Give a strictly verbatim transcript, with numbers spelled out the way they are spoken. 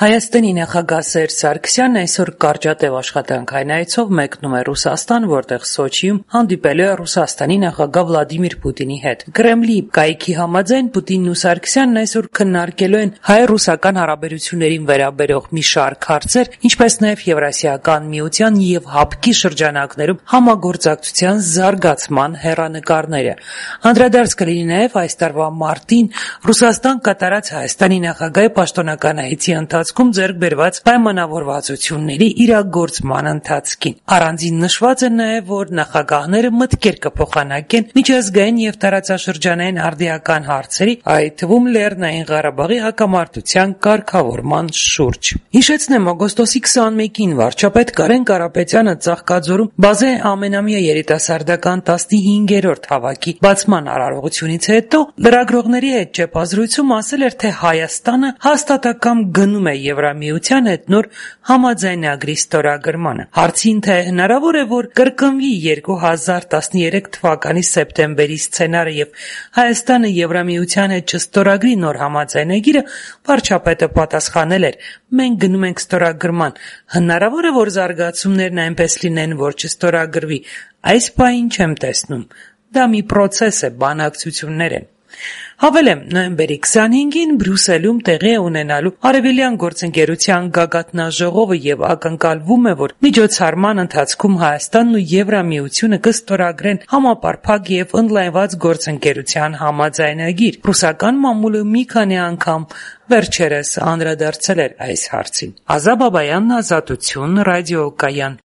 Հայաստանի նախագահ Սերժ Սարգսյանն այսօր կարճատև աշխատանքային այցով մեկնում է Ռուսաստան, որտեղ Սոչիում հանդիպելու է Ռուսաստանի նախագահ Վլադիմիր Պուտինի հետ։ Կրեմլի կայքի համաձայն Պուտինն ու Սարգսյանն այսօր քննարկելու են հայ-ռուսական հարաբերություններին վերաբերող մի շարք հարցեր, ինչպես նաև Եվրասիական միության և ՀԱՊԿ-ի շրջանակներում համագործակցության զարգացման հեռանկարները։ Անդրադարձ կլինի նաև այս տարվա մարտին Ռուսաստան կատարած Հայաստանի նախագահի պաշտոնական այցի ընթացքում ձեռք բերված պայմանավորվածությունների իրագործման ընթացքին։ Առանձին նշված է նաև, որ նախագահները մտքեր կփոխանակեն միջազգային և տարածաշրջանային արդիական հարցերի, այդ թվում Լեռնային Ղարաբաղի հակամարտության կարգավորման շուրջ։ Հիշեցնեմ, օգոստոսի քսաներկին վարչապետ Կարեն Կարապետյանը Ծաղկաձորում բազե ամենամյա երիտասարդական տասնհինգերորդ հավաքի բացման արարողությունից հետո լրագրողների հետ ճեպազրույցում ասել էր, թե Հայաստանը հաստատակամ գնում է Եվրամիության հետ նոր համաձայնագրի ստորագրմանը։ Հարցին, թե հնարավոր է, որ կրկնվի երկու հազար տասներեք թվականի սեպտեմբերի սցենարը և Հայաստանը Եվրամիության հետ չստորագրի նոր համաձայնագիրը, վարչապետը պատասխանել էր. «Մենք գնում ենք ստորագրման։ Հնարավոր է, որ զարգացումներն այնպես լինեն, որ չստորագրվի։ Այս պահին չեմ տեսնում։ Դա մի պրոցես է, բանակցություններ են»։ Հավելեմ, նոյեմբերի քսանհինգին Բրյուսելում տեղի է ունենալու Արևելյան գործընկերության գագաթնաժողովը և ակնկալվում է, որ միջոցառման ընթացքում Հայաստանն ու Եվրամիությունը կստորագրեն համապարփակ և ընդլայնված գործընկերության համաձայնագիր։ Ռուսական մամուլը մի քանի անգամ վերջերս անդրադարձել էր այս հարցին։ Ազա Բաբայան, Ազատություն, ռադիոկայան։